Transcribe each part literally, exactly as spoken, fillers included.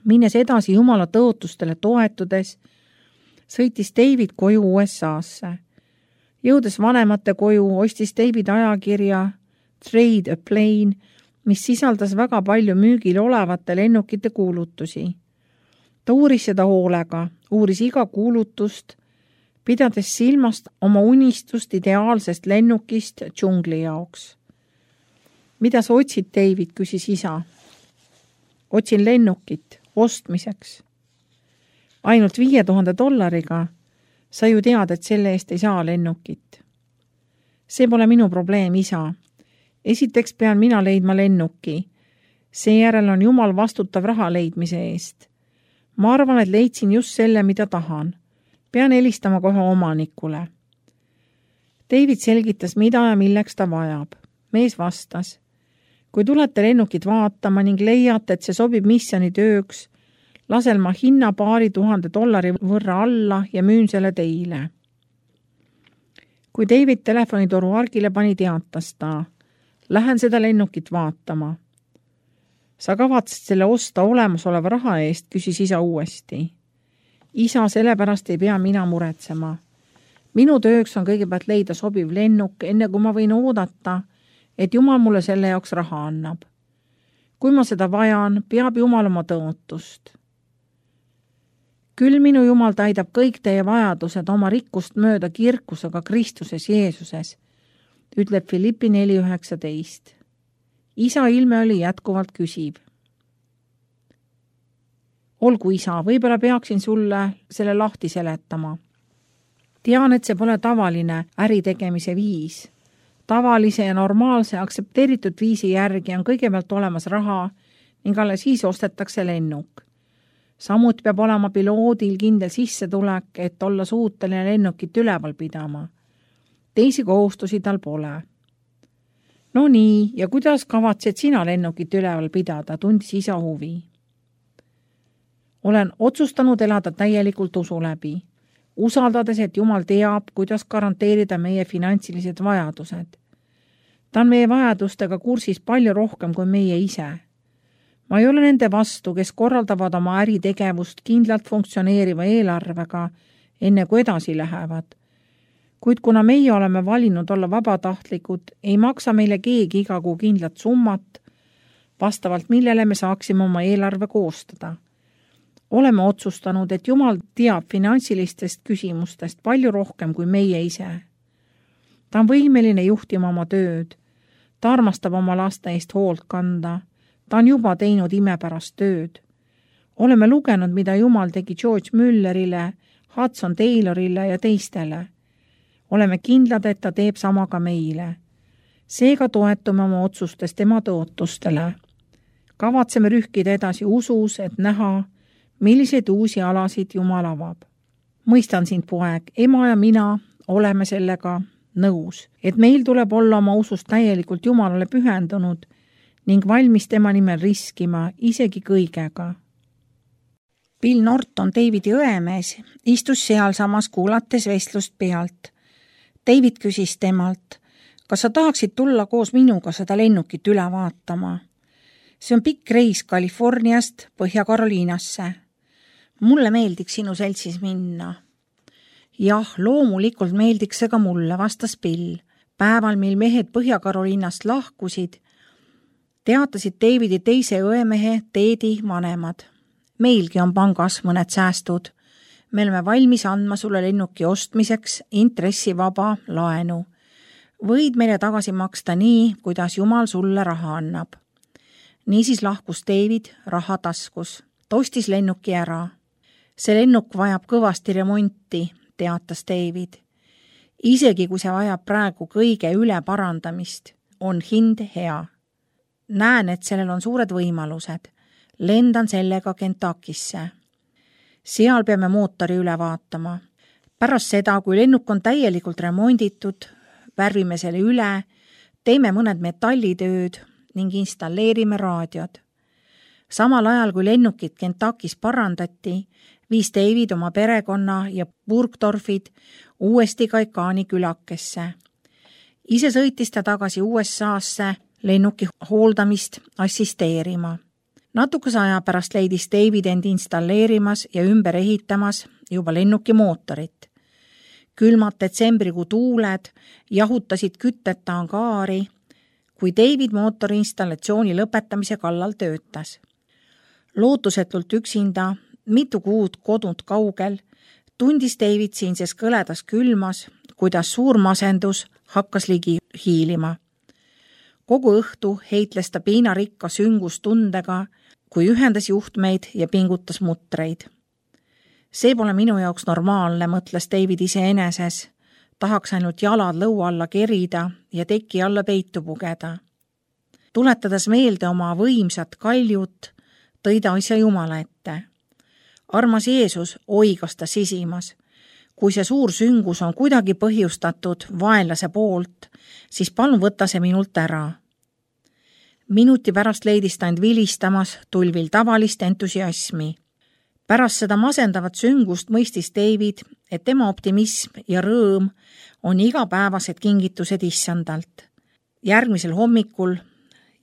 Minnes edasi Jumala tõotustele toetudes, sõitis David koju U S A-sse. Jõudes vanemate koju, ostis David ajakirja Trade a Plane, mis sisaldas väga palju müügil olevate lennukite kuulutusi. Ta uuris seda hoolega, uuris iga kuulutust, pidades silmast oma unistust ideaalsest lennukist džungli jaoks. Mida sa otsid, David, küsis isa. Otsin lennukit ostmiseks. Ainult viie tuhande dollariga. Sa ju tead, et selle eest ei saa lennukit. See pole minu probleem, isa. Esiteks pean mina leidma lennuki. Seejärel on Jumal vastutav raha leidmise eest. Ma arvan, et leidsin just selle, mida tahan. Pean helistama kohe omanikule. David selgitas, mida ja milleks ta vajab. Mees vastas. Kui tulete lennukit vaatama ning leiate, et see sobib missioni tööks, lasel ma hinna paari tuhande dollari võrra alla ja müün selle teile. Kui David telefonitoru argile pani, teatas ta. Lähen seda lennukit vaatama. Sa kavatsid selle osta olemasoleva raha eest, küsis isa uuesti. Isa, sellepärast ei pea mina muretsema. Minu tööks on kõigepealt leida sobiv lennuk, enne kui ma võin oodata, et Jumal mulle selle jaoks raha annab. Kui ma seda vajan, peab Jumal oma tõotust. Küll minu Jumal täidab kõik teie vajadused oma rikkust mööda kirkusega Kristuses Jeesuses, ütleb Filippi neli üheksateist. Isa ilme oli jätkuvalt küsib. Olgu, isa, võib-olla peaksin sulle selle lahti seletama. Tean, et see pole tavaline äritegemise viis. Tavalise ja normaalse aktsepteeritud viisi järgi on kõigepealt olemas raha ning alles siis ostetakse lennuk. Samuti peab olema piloodil kindel sissetulek, et olla suuteline lennukit üleval pidama. Teisi kohustusi tal pole. No nii, ja kuidas kavatsed sina lennukit üleval pidada, tundis isa huvi. Olen otsustanud elada täielikult usu läbi, usaldades, et Jumal teab, kuidas garanteerida meie finantsilised vajadused. Ta on meie vajadustega kursis palju rohkem kui meie ise. Ma ei ole nende vastu, kes korraldavad oma äritegevust kindlalt funktsioneeriva eelarvega, enne kui edasi lähevad. Kuid kuna meie oleme valinud olla vabatahtlikud, ei maksa meile keegi iga kuu kindlat summat, vastavalt millele me saaksime oma eelarve koostada. Oleme otsustanud, et Jumal teab finantsilistest küsimustest palju rohkem kui meie ise. Ta on võimeline juhtima oma tööd. Ta armastab oma laste eest hoolt kanda. Ta on juba teinud imepärast tööd. Oleme lugenud, mida Jumal tegi George Müllerile, Hudson Taylorile ja teistele. Oleme kindlad, et ta teeb sama ka meile. Seega toetume oma otsustes tema tõotustele. Kavatseme rühkida edasi usus, et näha, milliseid uusi alasid Jumal avab. Mõistan sind, poeg, ema ja mina oleme sellega nõus, et meil tuleb olla oma usust täielikult Jumalale pühendunud ning valmis tema nimel riskima isegi kõigega. Bill Norton, Davidi õemees, istus sealsamas kuulates vestlust pealt. David küsis temalt, kas sa tahaksid tulla koos minuga seda lennukit üle vaatama? See on pikk reis Californiast Põhja-Karoliinasse. Mulle meeldiks sinu seltsis minna. Jah, loomulikult meeldiks see ka mulle, vastas Bill. Päeval, mil mehed Põhja-Karoliinast lahkusid, teatasid Davidi teise õemehe Teedi vanemad. Meilgi on pangas mõned säästud. Me oleme valmis andma sulle lennuki ostmiseks intressivaba laenu. Võid meile tagasi maksta nii, kuidas Jumal sulle raha annab. Niisiis lahkus David raha taskus. Ta ostis lennuki ära. See lennuk vajab kõvasti remonti, teatas David. Isegi kui see vajab praegu kõige üle parandamist, on hind hea. Näen, et sellel on suured võimalused. Lendan sellega Kentuckisse. Seal peame mootori üle vaatama. Pärast seda, kui lennuk on täielikult remonditud, värvime selle üle, teeme mõned metallitööd ning installeerime raadiod. Samal ajal, kui lennukit Kentuckis parandati, viis David oma perekonna ja Burgdorfid uuesti Kaikaani külakesse. Ise sõitis ta tagasi U S A-sse lennuki hooldamist assisteerima. Natukese aja pärast leidis David end installeerimas ja ümber ehitamas juba lennuki mootorit. Külmad detsembrikuu tuuled jahutasid kütteta angaari, kui David mootori installatsiooni lõpetamise kallal töötas. Lootusetult üksinda, mitu kuud kodunt kaugel, tundis David siinses kõledas külmas, kuidas suur masendus hakkas ligi hiilima. Kogu õhtu heitles ta piinarikka süngustundega, kui ühendas juhtmeid ja pingutas mutreid. See pole minu jaoks normaalne, mõtles David iseeneses. Tahaks ainult jalad lõua alla kerida ja teki alla peitu pugeda. Tuletades meelde oma võimsat kaljut, tõi ta asja Jumala ette. Armas Jeesus oigas ta sisimas. Kui see suur süngus on kuidagi põhjustatud vaenlase poolt, siis palun võta see minult ära. Minuti pärast leidis ta end vilistamas tulvil tavalist entusiasmi. Pärast seda masendavat süngust mõistis David, et tema optimism ja rõõm on igapäevased kingitused issandalt. Järgmisel hommikul,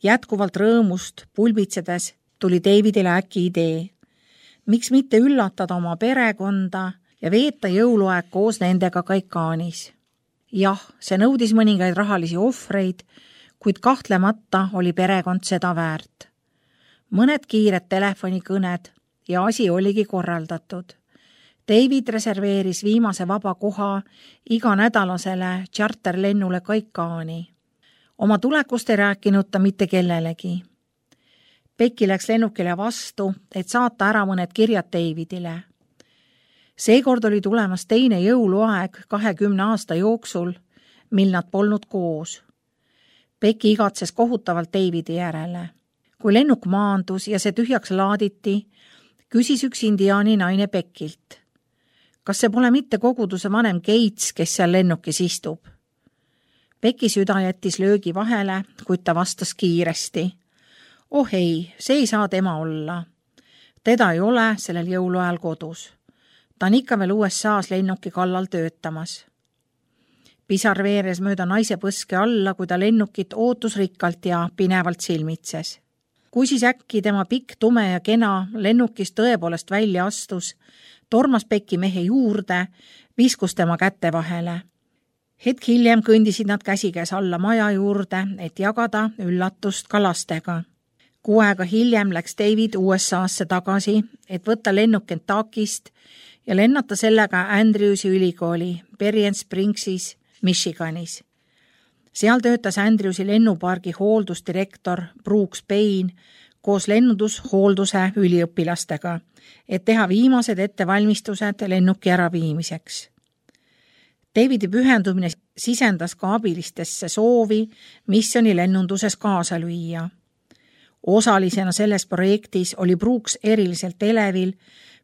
jätkuvalt rõõmust pulbitsedes, tuli Davidile äkki idee. Miks mitte üllatada oma perekonda ja veeta jõuluaeg koos nendega Kaikaanis? Jah, see nõudis mõningaid rahalisi ohvreid, kuid kahtlemata oli perekond seda väärt. Mõned kiired telefonikõned ja asi oligi korraldatud. David reserveeris viimase vaba koha iga nädalasele charterlennule Kaikaani. Oma tulekust ei rääkinud ta mitte kellelegi. Becky läks lennukile vastu, et saata ära mõned kirjad Davidile. Seekord oli tulemas teine jõuluaeg kahekümne aasta jooksul, mil nad polnud koos. Becky igatses kohutavalt Davidi järele. Kui lennuk maandus ja see tühjaks laaditi, küsis üks indiaani naine Beckilt. Kas see pole mitte koguduse vanem Gates, kes seal lennukis istub? Becky süda jättis löögi vahele, kuid ta vastas kiiresti. Oh ei, see ei saa tema olla. Teda ei ole sellel jõuluajal kodus. Ta on ikka veel U S A-s lennuki kallal töötamas. Pisar veeres mööda naise põske alla, kui ta lennukit ootusrikkalt ja pinevalt silmitses. Kui siis äkki tema pikk, tume ja kena lennukist tõepoolest välja astus, tormas Becky mehe juurde, viskus tema kätte vahele. Hetk hiljem kõndisid nad käsikäes alla maja juurde, et jagada üllatust ka lastega. Kuu aega hiljem läks David U S A-sse tagasi, et võtta lennuk Kentuckist ja lennata sellega Andrewsi ülikooli Berrien Springsis, Michiganis. Seal töötas Andrewsi lennupargi hooldusdirektor Brooks Payne koos lennundushoolduse üliõpilastega, et teha viimased ettevalmistused lennuki äraviimiseks. Davidi pühendumine sisendas ka abilistesse soovi missiooni lennunduses kaasa lüüa. Osalisena selles projektis oli Brooks eriliselt elevil,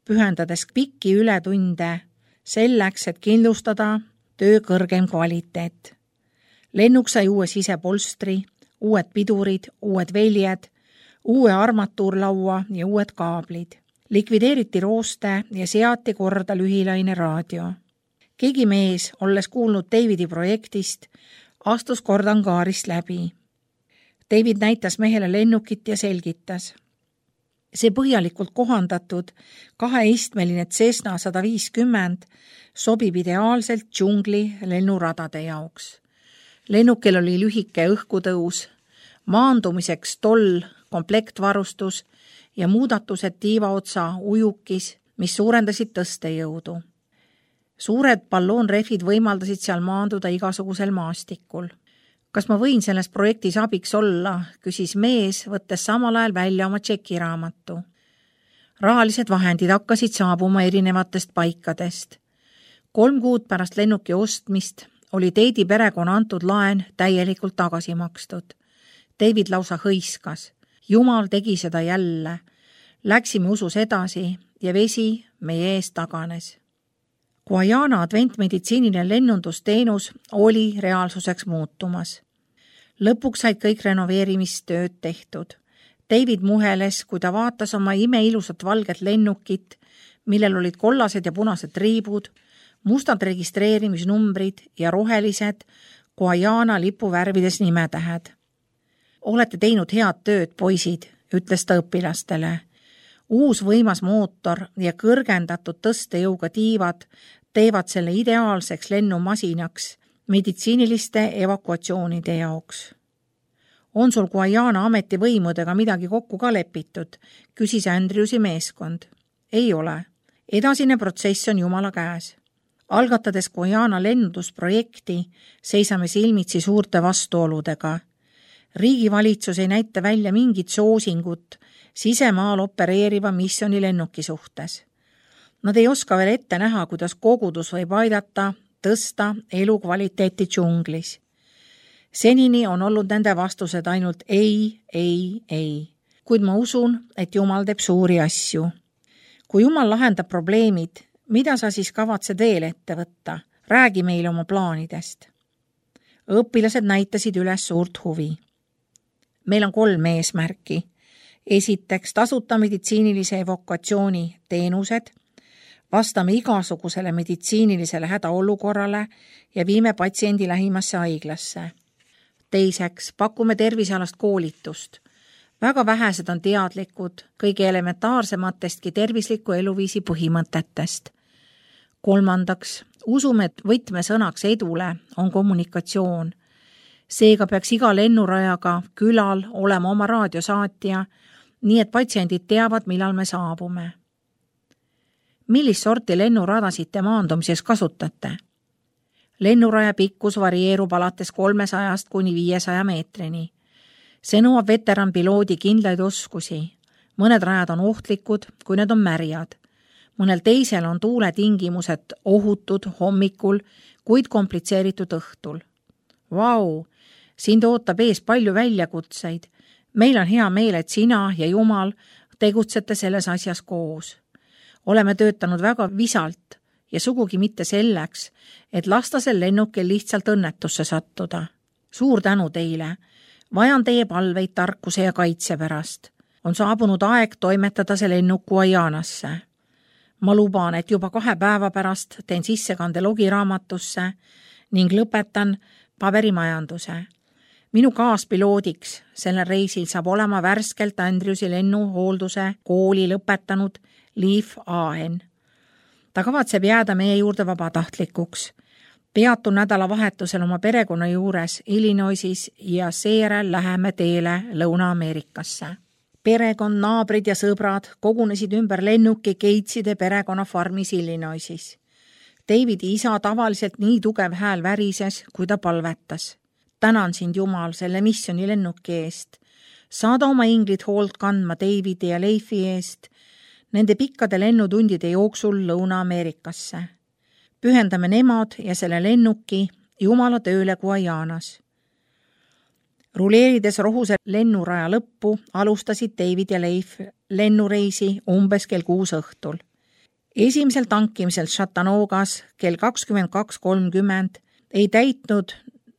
pühendades pikki ületunde selleks, et kindlustada töö kõrgem kvaliteet. Lennuk sai uue sisepolstri, uued pidurid, uued väljed, uue armatuurlaua ja uued kaablid. Likvideeriti rooste ja seati korda lühilaine raadio. Keegi mees, olles kuulnud Davidi projektist, astus kord angaarist läbi. David näitas mehele lennukit ja selgitas. See põhjalikult kohandatud kaheistmeline Cessna sada viiskümmend sobib ideaalselt džungli lennuradade jaoks. Lennukil oli lühike õhkutõus, maandumiseks toll, komplektvarustus ja muudatused tiivaotsa ujukis, mis suurendasid tõstejõudu. Suured balloonrehvid võimaldasid seal maanduda igasugusel maastikul. Kas ma võin selles projektis abiks olla, küsis mees, võttes samal ajal välja oma tšekiraamatu. Rahalised vahendid hakkasid saabuma erinevatest paikadest. Kolm kuud pärast lennuki ostmist oli Daidi perekonna antud laen täielikult tagasi makstud. David lausa hõiskas. Jumal tegi seda jälle. Läksime usus edasi ja vesi meie ees taganes. Guajana adventmeditsiiniline lennundusteenus oli reaalsuseks muutumas. Lõpuks said kõik renoveerimistööd tehtud. David muheles, kui ta vaatas oma imeilusat valget lennukit, millel olid kollased ja punased riibud, mustad registreerimisnumbrid ja rohelised Guajana lipuvärvides nimetähed. Olete teinud head tööd, poisid, ütles ta õpilastele. Uus võimas mootor ja kõrgendatud tõstejõuga tiivad teevad selle ideaalseks lennumasinaks meditsiiniliste evakuatsioonide jaoks. On sul Guyana ametivõimudega midagi kokku ka lepitud, küsis Andrewsi meeskond. Ei ole. Edasine protsess on Jumala käes. Algatades Guyana lennundusprojekti seisame silmitsi suurte vastuoludega. Riigivalitsus ei näita välja mingit soosingut sisemaal opereeriva missiooni lennuki suhtes. Nad ei oska veel ette näha, kuidas kogudus võib aidata tõsta elukvaliteeti džunglis. Senini on olnud nende vastused ainult ei, ei, ei. Kuid ma usun, et Jumal teeb suuri asju. Kui Jumal lahendab probleemid, mida sa siis kavatsed veel ette võtta? Räägi meile oma plaanidest. Õpilased näitasid üles suurt huvi. Meil on kolm eesmärki. Esiteks, tasuta meditsiinilise evakuatsiooni teenused, vastame igasugusele meditsiinilisele hädaolukorrale ja viime patsiendi lähimasse haiglasse. Teiseks, pakume tervisealast koolitust. Väga vähesed on teadlikud kõige elementaarsematestki tervisliku eluviisi põhimõtetest. Kolmandaks, usume, et võtmesõnaks edule on kommunikatsioon. Seega peaks iga lennurajaga külal olema oma raadiosaatja, nii et patsiendid teavad, millal me saabume. Millist sorti lennuradasid te maandumises kasutate? Lennuraja pikkus varieerub alates kolmesajast kuni viiesaja meetrini. See nõuab veteranpiloodi kindlaid oskusi. Mõned rajad on ohtlikud, kui need on märjad. Mõnel teisel on tuuletingimused ohutud hommikul, kuid komplitseeritud õhtul. Vau, sind ootab ees palju väljakutseid. Meil on hea meel, et sina ja Jumal tegutsete selles asjas koos. Oleme töötanud väga visalt ja sugugi mitte selleks, et lasta sel lennukil lihtsalt õnnetusse sattuda. Suur tänu teile. Vajan teie palveid tarkuse ja kaitse pärast. On saabunud aeg toimetada see lennuk Guyanasse. Ma luban, et juba kahe päeva pärast teen sissekande logiraamatusse ning lõpetan paberimajanduse. Minu kaaspiloodiks sellel reisil saab olema värskelt Andrewsi lennuhoolduse kooli lõpetanud Leif Ahen. Ta kavatseb jääda meie juurde vabatahtlikuks. Peatun nädalavahetusel oma perekonna juures Illinoisis ja seejärel läheme teele Lõuna-Ameerikasse. Perekond, naabrid ja sõbrad kogunesid ümber lennuki Gateside perekonna farmis Illinoisis. Davidi isa tavaliselt nii tugev hääl värises, kui ta palvetas. Tänan sind, Jumal, selle missiooni lennuki eest. Saada oma inglid hoolt kandma Davidi ja Leifi eest nende pikkade lennutundide jooksul Lõuna-Ameerikasse. Pühendame nemad ja selle lennuki Jumala tööle Guyanas. Ruleerides rohuse lennuraja lõppu alustasid David ja Leif lennureisi umbes kell kuus õhtul. Esimesel tankimisel Chattanoogas kell kakskümmend kaks kolmkümmend ei täitnud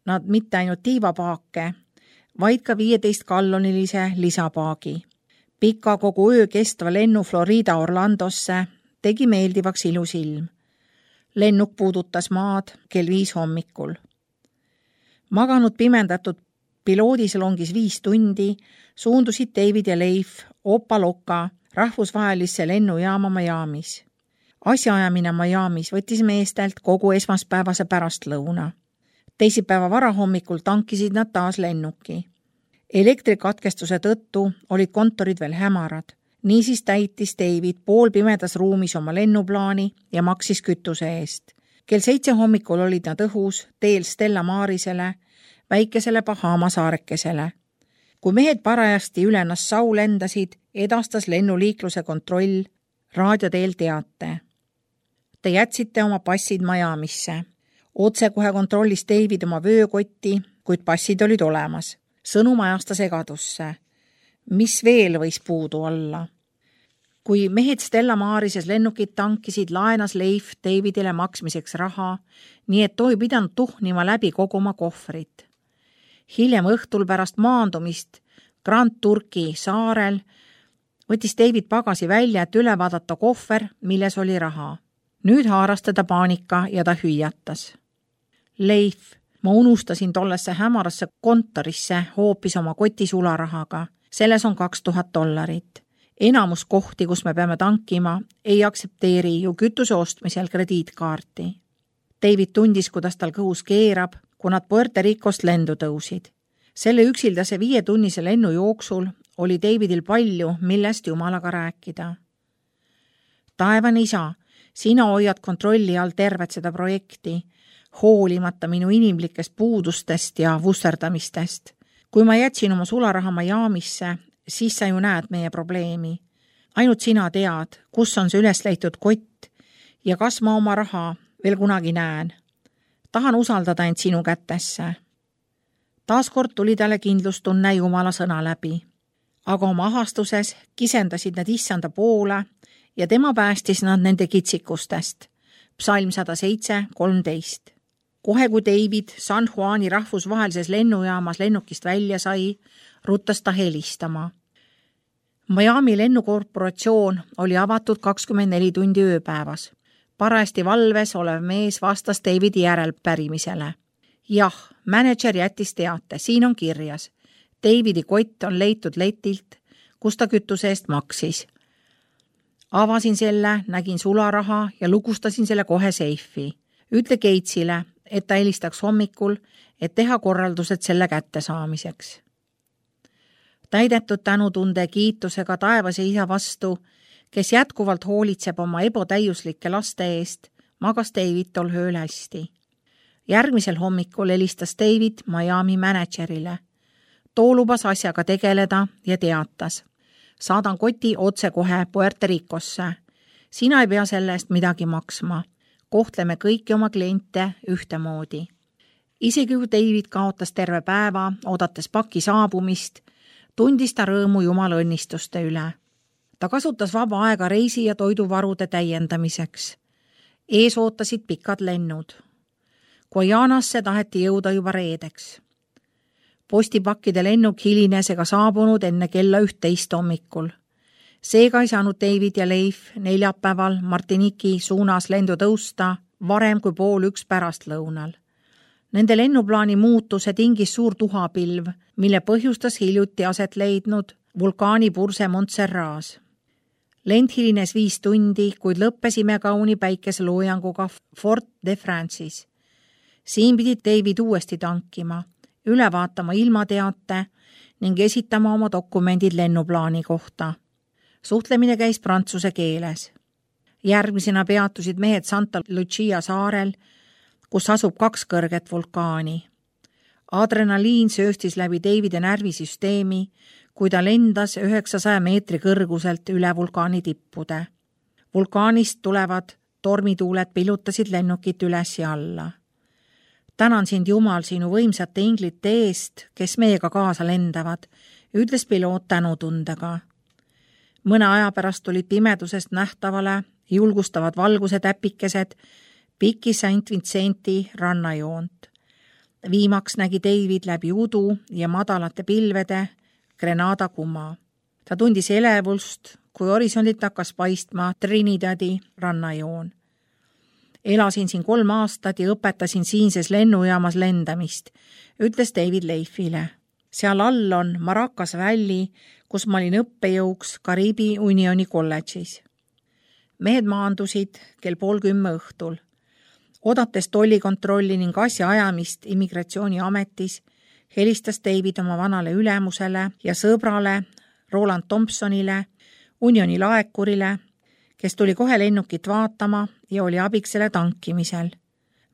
nad mitte ainult tiivapaake, vaid ka viieteist gallonilise lisapaagi. Pika kogu öö kestva lennu Florida Orlandosse tegi meeldivaks ilus ilm. Lennuk puudutas maad kell viis hommikul. Maganud pimendatud piloodisalongis viis tundi suundusid David ja Leif Opa-Locka rahvusvahelisse lennujaama Miamis. Asjaajamine Miamis võttis meestelt kogu esmaspäevase pärastlõuna. Teisipäeva varahommikul tankisid nad taas lennuki. Elektrikatkestuse tõttu olid kontorid veel hämarad. Niisiis täitis David poolpimedas ruumis oma lennuplaani ja maksis kütuse eest. Kell seitse hommikul olid nad õhus teel Stella Marisele, väikesele Bahama saarekesele. Kui mehed parajasti üle Nassau lendasid, edastas lennuliikluse kontroll raadioteel teate. Te jätsite oma passid Miamisse. Otse kohe kontrollis David oma vöökotti, kuid passid olid olemas. Sõnum ajasta segadusse. Mis veel võis puudu olla? Kui mehed Stella Marises lennukid tankisid, laenas Leif Davidile maksmiseks raha, nii et toi pidanud tuhnima läbi kogu oma kohvrit. Hiljem õhtul pärast maandumist Grand Turki saarel võttis David pagasi välja, et üle vaadata kohver, milles oli raha. Nüüd haaras teda paanika ja ta hüüatas. Leif, ma unustasin tollesse hämarasse kontorisse hoopis oma koti sularahaga. selles on kaks tuhat dollarit. Enamus kohti, kus me peame tankima, ei aksepteeri ju kütuse ostmisel krediitkaarti. David tundis, kuidas tal kõhus keerab, kui nad Puerto Ricost lendu tõusid. Selle üksildase viietunnise lennu jooksul oli Davidil palju, millest Jumalaga rääkida. Taevane isa, sina hoiad kontrolli all tervet seda projekti, hoolimata minu inimlikest puudustest ja vusserdamistest. Kui ma jätsin oma sularaha Miamisse, siis sa ju näed meie probleemi. Ainult sina tead, kus on see üles leitud kott ja kas ma oma raha veel kunagi näen. Tahan usaldada end sinu kätesse. Taaskord tuli talle kindlustunne Jumala sõna läbi. Aga oma ahastuses kisendasid nad issanda poole ja tema päästis nad nende kitsikustest. Psalm sada seitse kolmteist. Kohe kui David San Juani rahvusvahelises lennujaamas lennukist välja sai, ruttas ta helistama. Miami lennukorporatsioon oli avatud kakskümmend neli tundi ööpäevas. Parajasti valves olev mees vastas Davidi järelpärimisele. Jah, manager jättis teate, siin on kirjas. Davidi kott on leitud letilt, kus ta kütuse eest maksis. Avasin selle, nägin sularaha ja lukustasin selle kohe seifi. Ütle Gatesile, et ta helistaks hommikul, et teha korraldused selle kättesaamiseks. Täidetud tänutunde kiitusega taevase isa vastu, kes jätkuvalt hoolitseb oma ebotäiuslike laste eest, magas David tol ööl hästi. Järgmisel hommikul helistas David Miami managerile. Too lubas asjaga tegeleda ja teatas. Saadan koti otse kohe Puerto Ricosse. Sina ei pea selle eest midagi maksma. Kohtleme kõiki oma kliente ühtemoodi. Isegi kui David kaotas terve päeva, oodates paki saabumist, tundis ta rõõmu Jumala õnnistuste üle. Ta kasutas vaba aega reisi ja toiduvarude täiendamiseks. Ees ootasid pikad lennud. Guajanasse taheti jõuda juba reedeks. Postipakkide lennuk hilines ega saabunud enne kella ühteist hommikul. Seega ei saanud David ja Leif neljapäeval Martiniki suunas lendu tõusta varem kui pool üks pärastlõunal. Nende lennuplaani muutuse tingis suur tuhapilv, mille põhjustas hiljuti aset leidnud vulkaanipurse Montserras. Lend hilines viis tundi, kuid lõppesime kauni päikeseloojanguga Fort de France'is. Siin pidi David uuesti tankima, üle vaatama ilmateate ning esitama oma dokumendid lennuplaani kohta. Suhtlemine käis prantsuse keeles. Järgmisena peatusid mehed Santa Lucia saarel, kus asub kaks kõrget vulkaani. Adrenaliin sööstis läbi Davide närvisüsteemi, kui ta lendas üheksasaja meetri kõrguselt üle vulkaani tippude. Vulkaanist tulevad tormituuled pilutasid lennukit üles ja alla. Tänan sind Jumal sinu võimsate inglite eest, kes meiega kaasa lendavad, ütles piloot tänutundega. Mõne aja pärast tulid pimedusest nähtavale julgustavad valguse täpikesed piki Saint Vincenti rannajoont. Viimaks nägi David läbi udu ja madalate pilvede Grenada kuma. Ta tundis elevust, kui horisondit hakkas paistma Trinidadi rannajoon. Elasin siin kolm aastat ja õpetasin siinses lennujaamas lendamist, ütles David Leifile. Seal all on Maracas Valley, kus ma olin õppejõuks Kariibi Unioni kolledžis. Mehed maandusid kell pool kümme õhtul. Odates tollikontrolli ning asja ajamist immigratsiooniametis, helistas David oma vanale ülemusele ja sõbrale Roland Thompsonile, Unioni laekurile, kes tuli kohe lennukit vaatama ja oli abiks selle tankimisel.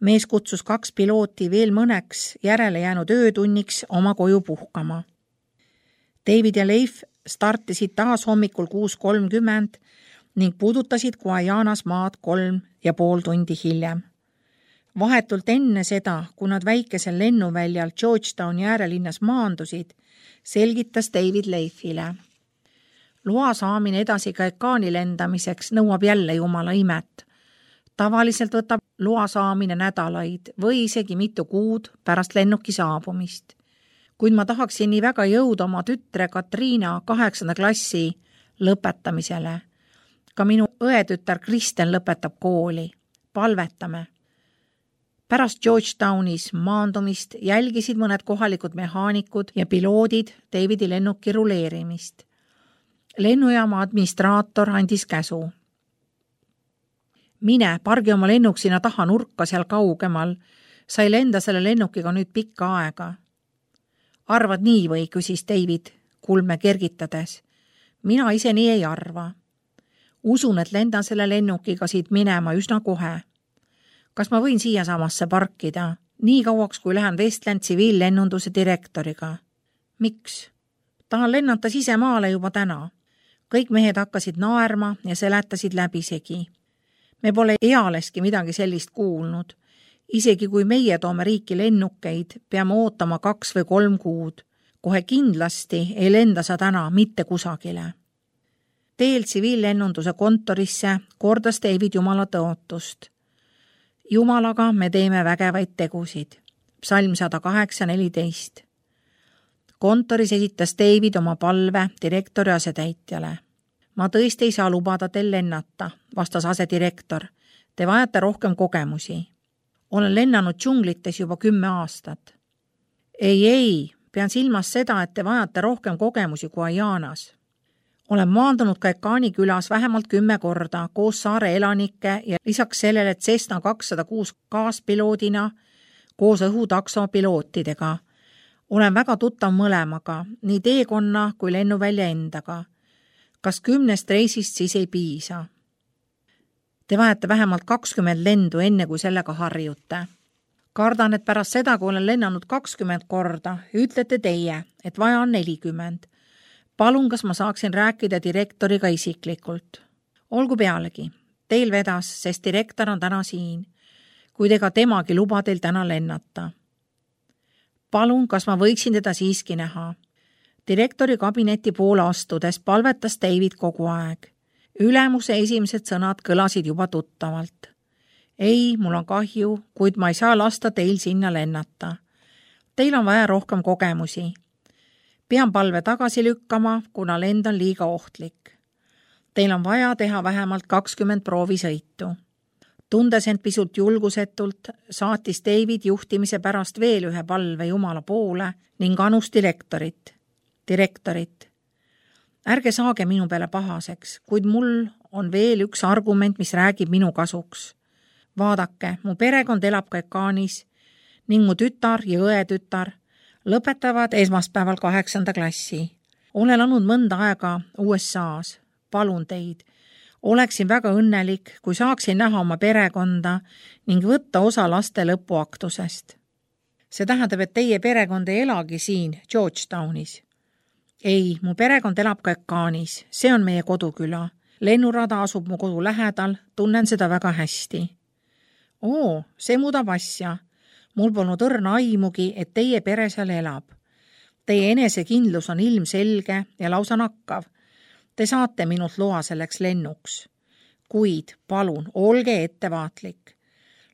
Mees kutsus kaks pilooti veel mõneks järele jäänud öötunniks oma koju puhkama. David ja Leif startisid taas hommikul kuus kolmkümmend ning puudutasid Guajanas maad kolm ja pool tundi hiljem. Vahetult enne seda, kui nad väikesel lennuväljal Georgetowni äärelinnas maandusid, selgitas David Leifile. Loa saamine edasi Caicani lendamiseks nõuab jälle Jumala imet. Tavaliselt võtab loa saamine nädalaid või isegi mitu kuud pärast lennuki saabumist. Kuid ma tahaksin nii väga jõuda oma tütre Katriina kaheksanda klassi lõpetamisele. Ka minu õetütar Kristen lõpetab kooli. Palvetame. Pärast Georgetownis maandumist jälgisid mõned kohalikud mehaanikud ja piloodid Davidi lennuki ruleerimist. Lennujaama administraator andis käsu. Mine, pargi oma lennuk sinna taha nurka seal kaugemal. Sai lenda selle lennukiga nüüd pikka aega. Arvad nii või, küsis David kulme kergitades. Mina ise nii ei arva. Usun, et lendan selle lennukiga siit minema üsna kohe. Kas ma võin siia samasse parkida? Nii kauaks, kui lähen Westland tsiviillennunduse direktoriga. Miks? Tahan lennata sisemaale juba täna. Kõik mehed hakkasid naerma ja seletasid läbisegi. Me pole ealeski midagi sellist kuulnud. Isegi kui meie toome riiki lennukeid, peame ootama kaks või kolm kuud. Kohe kindlasti ei lenda sa täna mitte kusagile. Teel tsiviillennunduse kontorisse kordas David Jumala tõotust. Jumalaga me teeme vägevaid tegusid. Psalm sada kaheksa neliteist. Kontoris esitas David oma palve direktori asetäitjale. Ma tõesti ei saa lubada teil lennata, vastas asedirektor. Te vajate rohkem kogemusi. Olen lennanud džunglites juba kümme aastat. Ei, ei, pean silmas seda, et te vajate rohkem kogemusi kui Ajanas. Olen maandunud Kaikani külas vähemalt kümme korda koos saare elanike ja lisaks sellele Cessna kakssada kuus kaaspiloodina koos õhutakso pilootidega. Olen väga tuttav mõlemaga, nii teekonna kui lennuvälja endaga. Kas kümnest reisist siis ei piisa? Te vajate vähemalt kakskümmend lendu enne, kui sellega harjute. Kardan, et pärast seda, kui olen lennanud kakskümmend korda, ütlete teie, et vaja on nelikümmend. Palun, kas ma saaksin rääkida direktoriga isiklikult? Olgu pealegi, teil vedas, sest direktor on täna siin, kuid ega temagi luba teil täna lennata. Palun, kas ma võiksin teda siiski näha? Direktori kabineti poole astudes palvetas David kogu aeg. Ülemuse esimesed sõnad kõlasid juba tuttavalt. Ei, mul on kahju, kuid ma ei saa lasta teil sinna lennata. Teil on vaja rohkem kogemusi. Pean palve tagasi lükkama, kuna lend on liiga ohtlik. Teil on vaja teha vähemalt kakskümmend proovisõitu. Tundes end pisut julgusetult, saatis David juhtimise pärast veel ühe palve Jumala poole ning anus direktorit. Direktorit. Ärge saage minu peale pahaseks, kuid mul on veel üks argument, mis räägib minu kasuks. Vaadake, mu perekond elab Kaikanis ning mu tütar ja õetütar lõpetavad esmaspäeval kaheksanda klassi. Olen olnud mõnda aega U S A-s. Palun teid. Oleksin väga õnnelik, kui saaksin näha oma perekonda ning võtta osa laste lõpuaktusest. See tähendab, et teie perekond ei elagi siin Georgetownis. Ei, mu perekond elab Kaikanis. See on meie koduküla. Lennurada asub mu kodu lähedal, tunnen seda väga hästi. Oo, see muudab asja. Mul polnud õrna aimugi, et teie pere seal elab. Teie enesekindlus on ilmselge ja lausa nakkav. Te saate minult loa selleks lennuks. Kuid, palun, olge ettevaatlik.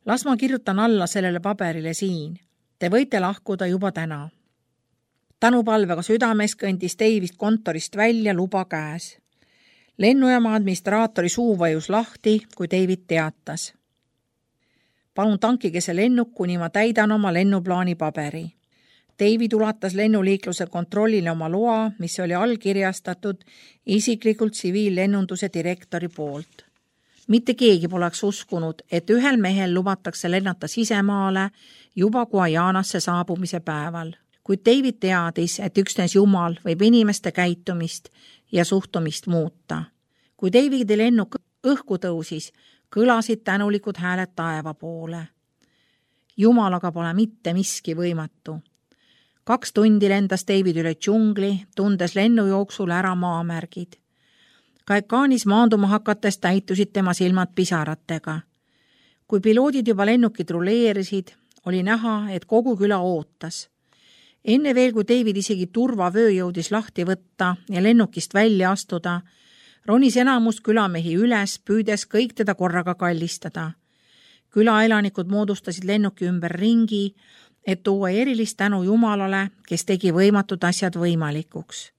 Las ma kirjutan alla sellele paberile siin. Te võite lahkuda juba täna. Tänupalvega südames kõndis David kontorist välja luba käes. Lennujaama administraatori suu vajus lahti, kui David teatas. Palun tankige see lennuk, kuni ma täidan oma lennuplaani paberi. David ulatas lennuliikluse kontrollile oma loa, mis oli allkirjastatud isiklikult tsiviillennunduse direktori poolt. Mitte keegi poleks uskunud, et ühel mehel lubatakse lennata sisemaale juba Guajanasse saabumise päeval. Kuid David teadis, et üksnes Jumal võib inimeste käitumist ja suhtumist muuta. Kui Davidi lennuk õhku tõusis, kõlasid tänulikud hääled taeva poole. Jumalaga pole mitte miski võimatu. Kaks tundi lendas David üle džungli, tundes lennujooksul ära maamärgid. Kaikanis maanduma hakates täitusid tema silmad pisaratega. Kui piloodid juba lennukid ruleerisid, oli näha, et kogu küla ootas. Enne veel, kui David isegi turvavöö jõudis lahti võtta ja lennukist välja astuda, ronis enamus külamehi üles, püüdes kõik teda korraga kallistada. Külaelanikud moodustasid lennuki ümber ringi, et tuua erilist tänu Jumalale, kes tegi võimatud asjad võimalikuks.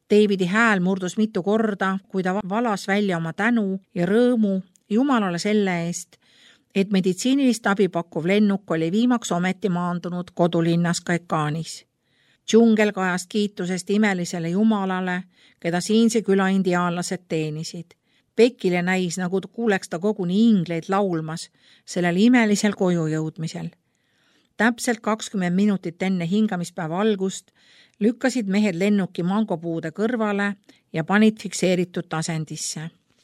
Davidi hääl murdus mitu korda, kui ta valas välja oma tänu ja rõõmu Jumalale selle eest, et meditsiinilist abi pakkuv lennuk oli viimaks ometi maandunud kodulinnas Kaekaanis. Džungel kajas kiitusest imelisele jumalale, keda siinse küla indiaanlased teenisid. Beckile näis, nagu kuuleks ta koguni ingleid laulmas sellel imelisel koju jõudmisel. Täpselt kakskümmend minutit enne hingamispäeva algust lükkasid mehed lennuki mangopuude kõrvale ja panid fikseeritud tasendisse.